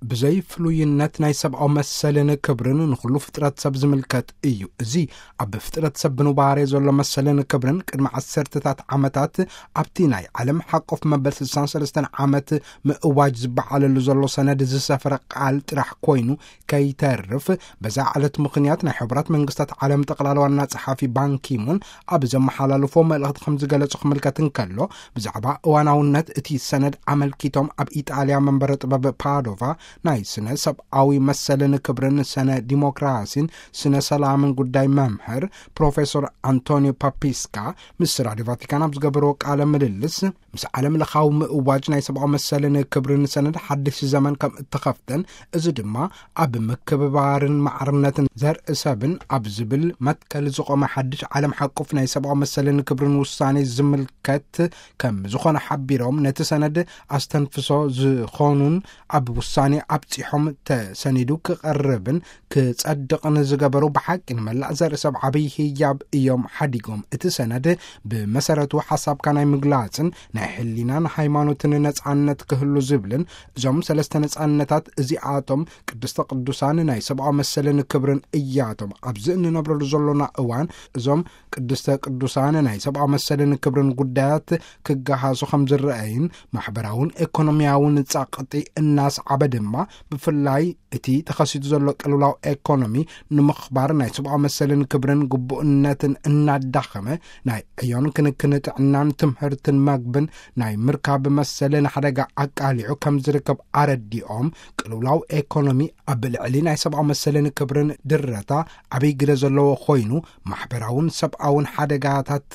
ብዘይ ፍሉይነት ናይ ሰብኣዊ መሰልን ክብርን ንኹሉ ፍጥረት ሰብ ዝምልከት እዩ። እዚ ኣብ ፍጥረት ሰብ ብኑባሬ ዘሎ መሰልን ክብርን ቅድሚ ዓሰርተታት ዓመታት ኣብቲ ናይ ዓለም ሓቆፍ መበል ስሳን ሰለስተን ዓመት ምእዋጅ ዝበዓለሉ ዘሎ ሰነድ ዝሰፈረ ቃል ጥራሕ ኮይኑ ከይተርፍ፣ በዛ ዕለት ምኽንያት ናይ ሕቡራት መንግስታት ዓለም ጠቕላላ ዋና ጸሓፊ ባንኪሙን ኣብ ዘመሓላለፎ መልእኽቲ ከም ዝገለጹ ክምልከት እንከሎ፣ ብዛዕባ እዋናውነት እቲ ሰነድ ኣመልኪቶም ኣብ ኢጣልያ መንበረ ጥበብ ፓዶቫ ናይ ስነ ሰብኣዊ መሰልን ክብርን ስነ ዲሞክራሲን ስነ ሰላምን ጉዳይ መምህር ፕሮፌሰር ኣንቶኒዮ ፓፒስካ ምስ ራዲዮ ቫቲካን ኣብ ዝገበርዎ ቃለ ምልልስ፣ ምስ ዓለም ለኻዊ ምእዋጅ ናይ ሰብኣዊ መሰልን ክብርን ሰነድ ሓድሽ ዘመን ከም እተኸፍተን፣ እዚ ድማ ኣብ ምክብባርን ማዕርነትን ዘርኢ ሰብን ኣብ ዝብል መትከል ዝቖመ ሓድሽ ዓለም ሓቁፍ ናይ ሰብኣዊ መሰልን ክብርን ውሳኔ ዝምልከት ከም ዝኾነ ሓቢሮም፣ ነቲ ሰነድ ኣስተንፍሶ ዝኾኑን ኣብ ውሳኔ ኣብጺሖም ተሰኒዱ ክቐርብን ክጸድቕን ዝገበሩ ብሓቂ ንመላእ ዘርኢ ሰብ ዓብይ ህያብ እዮም ሓዲጎም። እቲ ሰነድ ብመሰረቱ ሓሳብካ ናይ ምግላጽን ናይ ሕሊናን ሃይማኖትን ነጻነት ክህሉ ዝብልን፣ እዞም ሰለስተ ነጻነታት እዚኣቶም ቅድስተ ቅዱሳን ናይ ሰብኣዊ መሰልን ክብርን እያቶም። ኣብዚ እንነብረሉ ዘሎና እዋን እዞም ቅድስተ ቅዱሳን ናይ ሰብኣዊ መሰልን ክብርን ጉዳያት ክገሃሱ ከም ዝረአይን ማሕበራውን ኤኮኖሚያውን ጸቕጢ እናስዓበ ድማ፣ ብፍላይ እቲ ተኸሲቱ ዘሎ ቅልውላው ኤኮኖሚ ንምኽባር ናይ ሰብኣዊ መሰልን ክብርን ግቡእነትን እናዳኸመ፣ ናይ ዕዮን ክንክን ጥዕናን ትምህርትን መግብን ናይ ምርካብ መሰል ንሓደጋ ኣቃሊዑ ከም ዝርከብ ኣረዲኦም፣ ቅልውላው ኤኮኖሚ ኣብ ልዕሊ ናይ ሰብኣዊ መሰልን ክብርን ድረታ ዓብይ ግደ ዘለዎ ኮይኑ፣ ማሕበራውን ሰብኣውን ሓደጋታት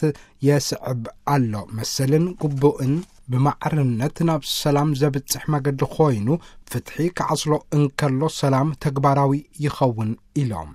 የስዕብ ኣሎ። መሰልን ግቡእን ብማዕርነት ናብ ሰላም ዘብጽሕ መገዲ ኮይኑ፣ ፍትሒ ክዓስሎ እንከሎ ሰላም ተግባራዊ ይኸውን ኢሎም።